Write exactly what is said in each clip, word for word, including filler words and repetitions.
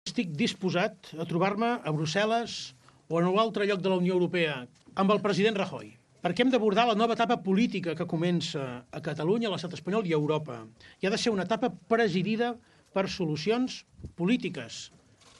Estic disposat a trobar-me a Brussel·les o en un altre lloc de la Unió Europea amb el president Rajoy, perquè hem d'abordar la nova etapa política que comença a Catalunya, a l'estat espanyol i a Europa. I ha de ser una etapa presidida per solucions polítiques,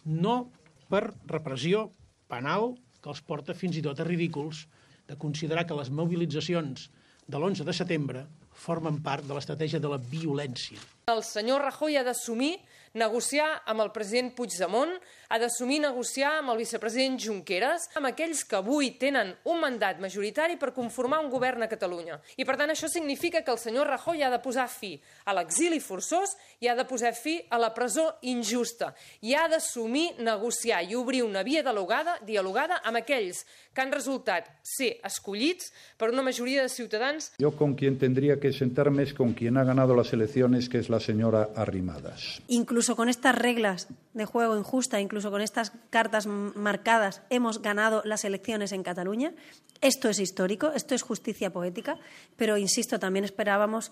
no per repressió penal que els porta fins i tot a ridículs de considerar que les mobilitzacions de l'onze de setembre formen part de l'estratègia de la violència. El senyor Rajoy ha d'assumir negociar amb el president Puigdemont, ha d'assumir negociar amb el vicepresident Junqueras, amb aquells que avui tenen un mandat majoritari per conformar un govern a Catalunya. I per tant això significa que el senyor Rajoy ha de posar fi a l'exili forçós i ha de posar fi a la presó injusta. I ha d'assumir negociar i obrir una via dialogada, dialogada amb aquells que han resultat ser escollits per una majoria de ciutadans. Yo con quien tendría que sentarme es con quien ha ganado las elecciones, que es la señora Arrimadas. Incluso con estas reglas de juego injusta, incluso con estas cartas marcadas, hemos ganado las elecciones en Cataluña. Esto es histórico, esto es justicia poética, pero insisto, también esperábamos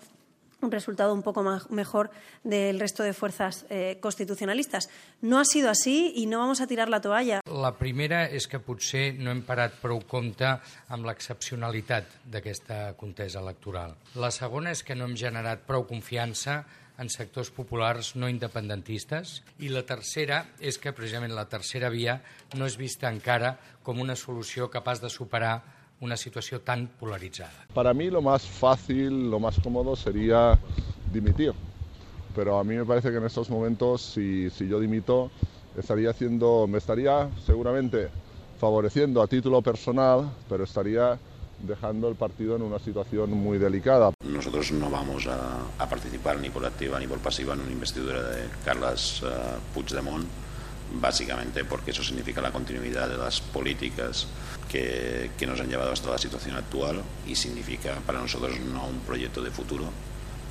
un resultado un poco más, mejor del resto de fuerzas eh, constitucionalistas. No ha sido así y no vamos a tirar la toalla. La primera és que potser no hem parat prou compte amb l'excepcionalitat d'aquesta contesa electoral. La segona és que no hem generat prou confiança en sectors populars no independentistes. I la tercera és que precisament la tercera via no és vista encara com una solució capaç de superar una situación tan polarizada. Para mí lo más fácil, lo más cómodo sería dimitir, pero a mí me parece que en estos momentos si, si yo dimito estaría haciendo, me estaría seguramente favoreciendo a título personal, pero estaría dejando el partido en una situación muy delicada. Nosotros no vamos a, a participar ni por activa ni por pasiva en una investidura de Carles uh, Puigdemont, básicamente porque eso significa la continuidad de las políticas que, que nos han llevado hasta la situación actual y significa para nosotros no un proyecto de futuro,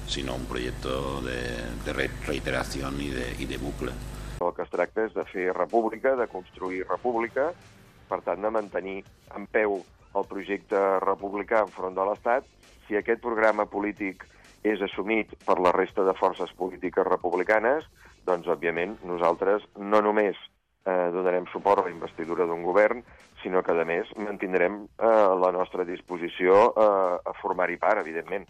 sino un proyecto de, de reiteración y de, y de bucle. El que es tracta és de fer república, de construir república, per tant de mantenir en peu el projecte republicà enfront de l'Estat. Si aquest programa polític és assumit per la resta de forces polítiques republicanes, doncs, òbviament, nosaltres no només eh, donarem suport a la investidura d'un govern, sinó que, a més, mantindrem eh, la nostra disposició eh, a formar-hi part, evidentment.